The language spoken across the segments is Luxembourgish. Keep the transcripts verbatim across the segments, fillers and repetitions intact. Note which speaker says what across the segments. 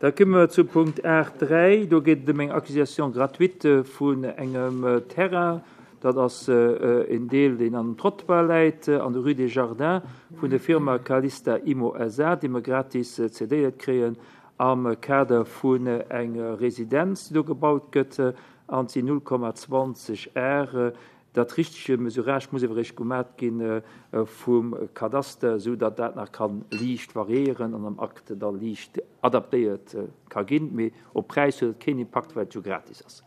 Speaker 1: Da komme mer zu Punkt aacht dräi. Do geet et ëm eng Acquisition gratuite vun engem Terrain. Dat ass en Deel, deen an dem Trottoir läit, an der Rue des Jardins, vun der Firma Calista Immo S A, déi mer gratis cedéiert kréien am Kader vun enger Residenz, déi do gebaut gëtt, an et sinn null Komma zwanzeg Ar. Dat richtege Mesurage muss awer eréischt gemat gi vum Kadaster, esou datt dat nach ka liicht variéieren an am Akt da liicht adaptéiert ka ginn. Mee op Präis huet et keen Impakt, well et jo gratis ass.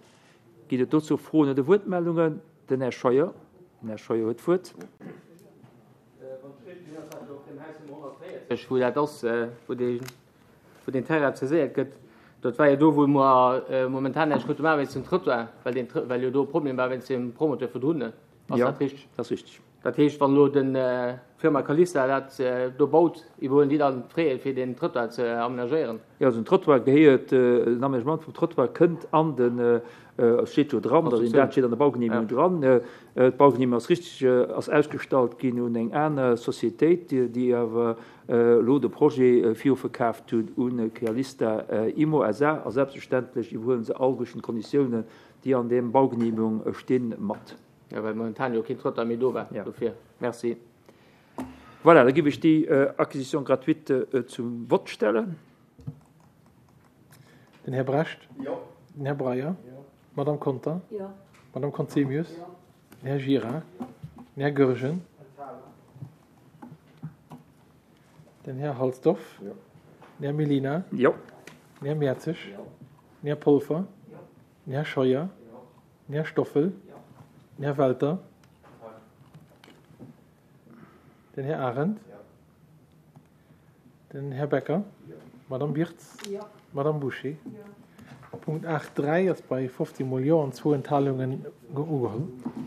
Speaker 1: Ginn et dozou Froen oder Wuertmeldungen? Den Här Scheuer. Den Här Scheuer huet d'Wuert.
Speaker 2: Wou dat ass, wou dee, wou deen Terrain saiséiert gëtt, dat war jo do, wou mer momentan näischt krute maachen wéinst dem Trottoir, well deen, well jo do e Problem war wéinst dem Promoteur virdrun. Ass dat richteg?
Speaker 1: Jo, dat ass richteg.
Speaker 2: Dat heescht, wann elo den d'Firma Calista dat do baut, iwwerhuelen déi dann d'Fraie fir deen Trottoir ze amenagéieren?
Speaker 1: Jo, also den Trottoir gehéiert, den Aménagement vum Trottoir kënnt an den, et steet jo dran, datt een dat steet an der Baugenehmigung dran. D'Baugenehmigung ass richteg, ass ausgestallt ginn un eng aner Sociétéit, déi awer elo de Projet viruverkaaft hunn un Calista Immo S A a selbstverständlech iwwerhuele se all duerch den d'Konditiounen, déi an deem Baugenehmigung stinn, mat.
Speaker 2: Jo, well momentan jo keen Trottoir méi do war.
Speaker 1: Ja.
Speaker 2: Dofir. Merci.
Speaker 1: Voilà, da géif ech déi Acquisition gratuite zum Vott stellen.
Speaker 3: Den Här Brecht.
Speaker 4: Jo.
Speaker 3: Den Här Breyer.
Speaker 4: Jo.
Speaker 3: D'Madame Conter.
Speaker 5: Jo.
Speaker 3: D'Madame Conzemius.
Speaker 4: Jo.
Speaker 3: Den Här Gira. Den Här Goergen. Den Här Halsdorf.
Speaker 4: Jo.
Speaker 3: Den Här Mellina.
Speaker 1: Jo.
Speaker 3: Den Här Mertzig.
Speaker 4: Jo.
Speaker 3: Den Här Polfer.
Speaker 4: Jo.
Speaker 3: Den Här Scheuer.
Speaker 4: Jo.
Speaker 3: Den Här Stoffel.
Speaker 4: Jo.
Speaker 3: Den Här Welter. Den Här Arendt.
Speaker 4: Jo.
Speaker 3: Den Här Becker.
Speaker 4: Jo.
Speaker 3: D'Madame Birtz.
Speaker 5: Jo.
Speaker 3: D'Madame Bouché.
Speaker 5: Jo.
Speaker 3: Punkt aacht dräi ass bei fofzéng mol Jo an zwou Enthalungen ugeholl.